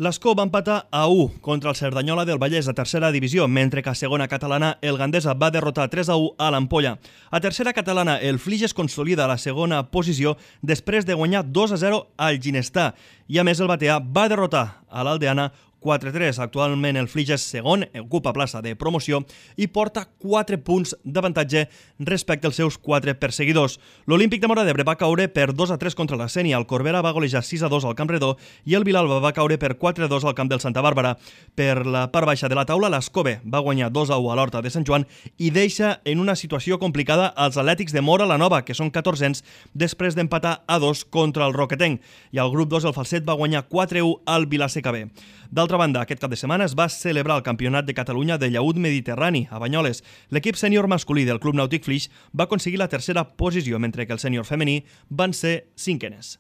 L'Escó va empatar a 1 contra el Cerdanyola del Vallès a tercera divisió, mentre que a segona catalana el Gandesa va derrotar 3-1 a l'Ampolla. A tercera catalana el Flix es consolida a la segona posició després de guanyar 2-0 al Ginestà i a més el Batea va derrotar a l'Aldeana 4-3. Actualment el Flix és segon, ocupa plaça de promoció i porta 4 punts d'avantatge respecte als seus 4 perseguidors. L'Olímpic de Móra d'Ebre va caure per 2-3 contra la Sénia, el Corbera va golejar 6-2 al Camp Redó i el Vilalba va caure per 4-2 al camp del Santa Bàrbara. Per la part baixa de la taula, l'Escove va guanyar 2-1 a l'Horta de Sant Joan i deixa en una situació complicada als Atlètics de Móra la Nova, que són 14ens, després d'empatar a 2 contra el Roquetenc. I al grup 2 el Falset va guanyar 4-1 al Vilaseca B. D'altra banda, aquest cap de setmana es va celebrar el Campionat de Catalunya de llaüt mediterrani a Banyoles. L'equip sènior masculí del Club Nàutic Flix va aconseguir la tercera posició, mentre que el sènior femení van ser cinquenes.